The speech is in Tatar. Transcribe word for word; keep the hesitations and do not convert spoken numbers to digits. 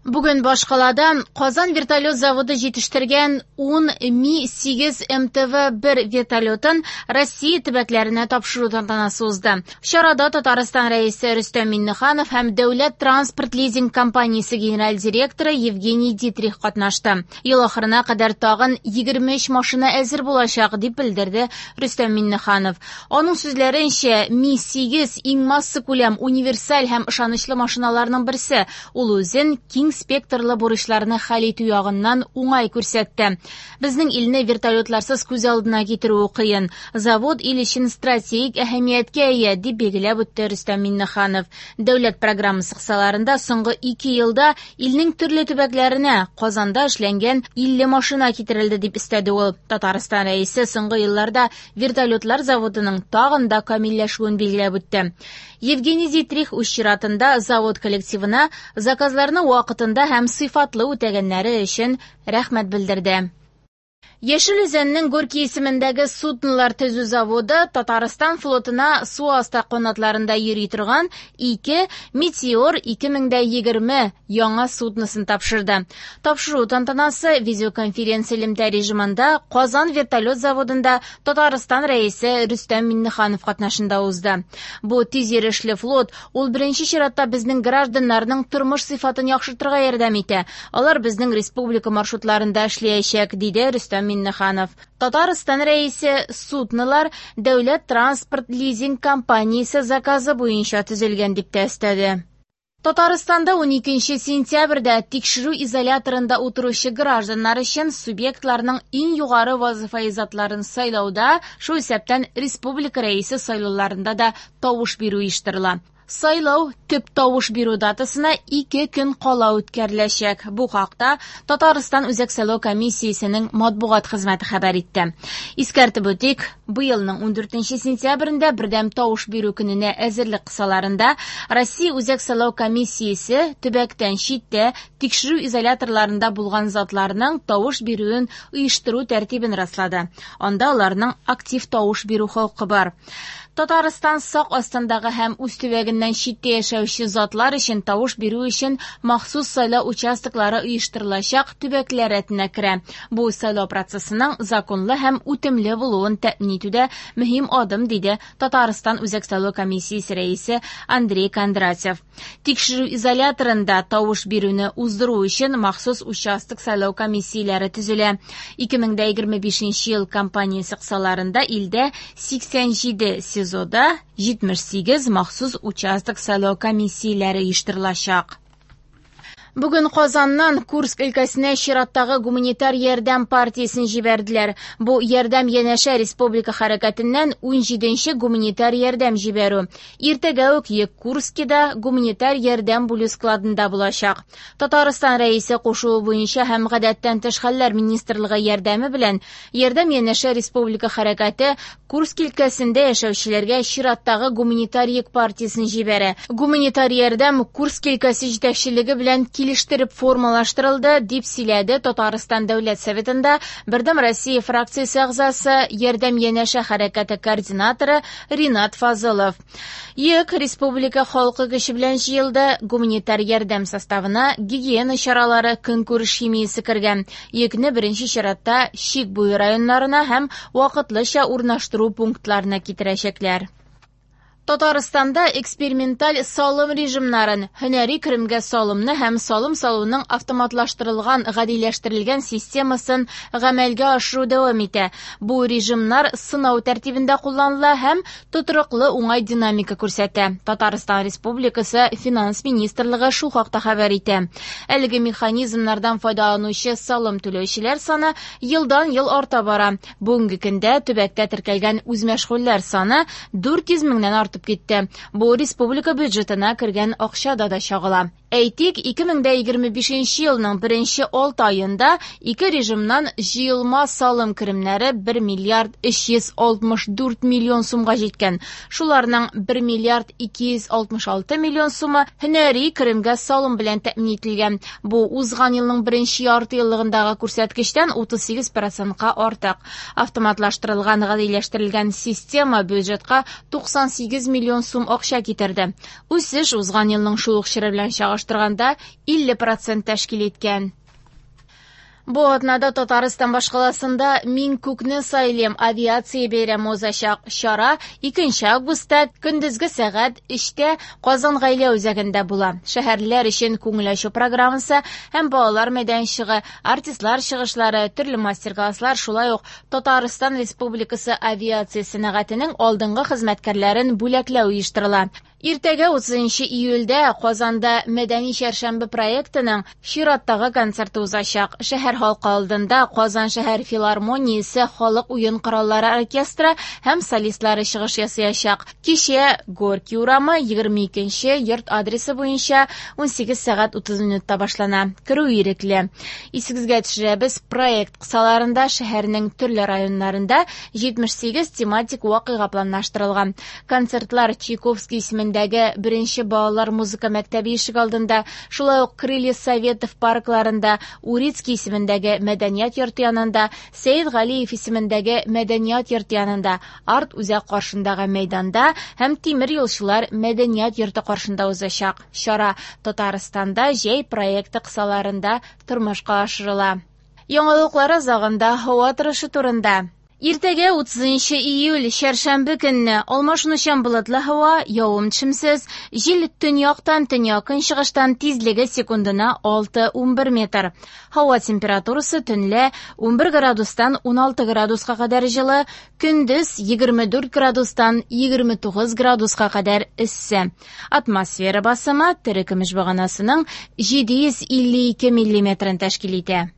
Бүген башкалада Казан вертолет заводы җитештергән ун Ми сигез эм тэ вэ бер вертолетын Россия төбәкләренә тапшыру тантанасы узды. Чарада Татарстан Рәисе Рөстәм Миңнеханов һәм Дәүләт транспорт лизинг компаниясе генераль директоры Евгений Дитрих катнашты. Ел ахырына кадәр тагын егерме өч машина әзер булачак, дип белдерде Рөстәм Миңнеханов. Аның сүзләренчә, Ми сигез иң массакүләм, универсаль һәм ышанычлы машиналарның берсе. Ул үзен киң спектрлы бурычларны хәл итү ягыннан уңай күрсәтте. Безнең илне вертолетларсыз күз алдына китерү кыен. Завод ил өчен стратегик әһәмияткә ия, дип билгеләп үтте Рөстәм Миңнеханов. Дәүләт программасы кысаларында соңгы ике елда илнең төрле төбәкләренә Казанда эшләнгән илле машина китерелде, дип өстәде ул. Татарстан Рәисе соңгы елларда вертолетлар заводының тагын да камилләшүен билгеләп үтте. Евгений Дитрих үз чиратында завод коллективына заказларны вакытында һәм сыйфатлы үтәгәннәре өчен рәхмәт белдерде. Яшел Үзәннең Горький исемендәге суднолар төзү заводы Татарстан флотына су асты канатларында йөри торган ике Метеор ике мең дә егерме яңа судносын тапшырды. Тапшыру тантанасы видеоконференция элемтә режимында Казан вертолет заводында Татарстан Рәисе Рөстәм Миңнеханов катнашында узды. Бу тиз йөрешле флот ул беренче чиратта безнең гражданнарның тормыш сыйфатын яхшыртырга ярдәм итә. Алар безнең республика маршрутларында эшләячәк, диде Рөстәм Миңнеханов. Татарстан Рәисе суднолар Дәүләт транспорт лизинг компаниясе заказы буенча төзелгән дип тә өстәде. Татарстанда ун икенче сентябрьдә тикшерү изоляторында утыручы гражданнар өчен субъектларның иң югары вазифаи затларын сайлауда, шул исәптән республика рәисе сайлауларында да тавыш бирү оештырыла. Сайлау төп тавыш бирү датасына ике көн кала үткәреләчәк. Бу хакта Татарстан Үзәк сайлау комиссиясенең матбугат хезмәте хәбәр итте. Искәртеп үтик, быелның ун дүртенче сентябрендә бердәм тавыш бирү көненә әзерлек кысаларында Россия Үзәк сайлау комиссиясе төбәктән читтә тикшерү изоляторларында булган затларның тавыш бирүен оештыру тәртибен раслады. Анда аларның актив тавыш бирү хокукы бар. Татарстан сак астындагы һәм үз төбәгеннән читтә яшәүче затлар өчен тавыш бирү өчен махсус сайлау участоклары оештырылачак төбәкләр рәтенә керә. Бу сайлау процессының законлы һәм үтемле булуын тәэмин итүдә мөһим адым, диде Татарстан Үзәк сайлау комиссиясе рәисе Андрей Кондратьев. Тикшерү изоляторында тавыш бирүне уздыру өчен махсус участок сайлау комиссияләре төзелә. Ике мең дә егерме бишенче ел кампаниясе кысаларында илдә сиксән җиде СИЗОда җитмеш сигез махсус участок сайлау комиссияләре оештырылачак. Бүген Казаннан Курск өлкәсенә чираттагы гуманитар ярдәм партиясен җибәрделәр. Бу ярдәм янәшә республика хәрәкәтеннән ун җиденче гуманитар ярдәм җибәрү. Иртәгә үк йөк Курскида гуманитар ярдәм бүлү складында булачак. Татарстан Рәисе кушуы буенча һәм гадәттән тыш хәлләр министрлыгы ярдәме белән ярдәм янәшә республика хәрәкәте Курск өлкәсендә яшәүчеләргә чираттагы гуманитар йөк партиясен җибәрә. Гуманитар ярдәм Курск өлкәсе җитәкчелеге белән килештереп формалаштырылды, дип сөйләде Татарстан Дәүләт Советында Бердәм Россия фракциясе әгъзасы, Ярдәм янәшә хәрәкәте координаторы Ринат Фазылов. Йөк республика халкы көче белән җыелды. Гуманитар ярдәм составына гигиена чаралары, көнкүреш химиясе кергән. Йөкне беренче чиратта чик буе районнарына һәм вакытлыча урнаштыру пунктларына китерәчәкләр. Татарстанда эксперименталь салым режимнарын, һөнәри керемгә салымны һәм салым салуның автоматлаштырылган, гадиләштерелгән системасын гамәлгә ашыру дәвам итә. Бу режимнар сынау тәртибендә кулланыла һәм тотрыклы уңай динамика күрсәтә. Татарстан Республикасы Финанс министрлыгы шул хакта хәбәр итә. Әлеге механизмнардан файдаланучы салым түләүчеләр саны елдан-ел арта бара. Бүгенге көндә төбәктә теркәлгән үзмәшгульләр саны дүрт йөз меңнән артып китте. Бу республика бюджетына кергән акчада да чагыла. Әйтик, ике мең дә егерме бишенче елның беренче алты аенда ике режимнан җыелма салым керемнәре бер миллиард өч йөз алтмыш дүрт миллион сумга җиткән. Шуларның бер миллиард ике йөз алтмыш алты миллион сумы һөнәри керемгә салым белән тәэмин ителгән. Бу узган елның беренче ярты еллыгындагы күрсәткечтән утыз сигез процентка артык. Автоматлаштырылган, гадиләштерелгән система бюджетка туксан сигез миллион сум акча китерде. Үсеш узган елның шул ук чоры белән чагыштырганда чагыштырганда илле процент тәшкил иткән. Бу атнада Татарстан башкаласында «Мин күкне сайлыйм» авиация бәйрәме узачак. Чара икенче августта көндезге сәгать өчтә Казан гаилә үзәгендә була. Шәһәрлеләр өчен күңел ачу программасы һәм балалар мәйданчыгы, артистлар чыгышлары, төрле мастер-класслар, шулай ук Татарстан Республикасы авиация сәнәгатенең алдынгы хезмәткәрләрен бүләкләү оештырыла. Иртәгә утызынчы июльдә Казанда Мәдәни чәршәмбе проектының чираттагы концерты узачак. Шәһәр халкы алдында Казан шәһәр филармониясе халык уен кораллары оркестры һәм солистлары чыгыш ясаячак. Кичә Горький урамы егерме икенче йорт адресы буенча ун сигез сәгать утыз минутта башлана. Керү ирекле. Исегезгә төшерәбез, проект кысаларында шәһәрнең төрле районнарында җитмеш сигез тематик вакыйга планлаштырылган. Концертлар Чайковский исемендәге беренче балалар музыка мәктәбе ишек алдында, шулай ук Крылья Советов паркларында, Урицкий исемендәге мәдәният йорты янында, Сәйд Галиев исемендәге мәдәният йорты янында, Арт үзәк каршындагы мәйданда һәм Тимер юлчылар мәдәният йорты каршында узачак. Чара Татарстанда җәй проекты кысаларында тормышка ашырыла. Яңалыклар азагында һава торышы турында. Иртәгә утызынчы июль чәршәмбе көнне алмашынучан болытлы һава, явым-төшемсез, җил төньяктан төньяк-көнчыгыштан тизлеге секундына алты ун бер метр. Һава температурасы төнлә ун бер градустан ун алты градуска кадәр җылы, көндез егерме дүрт градустан егерме тугыз градуска кадәр эссе. Атмосфера басымы терекөмеш баганасының җиде йөз илле ике миллиметрын тәшкил итә.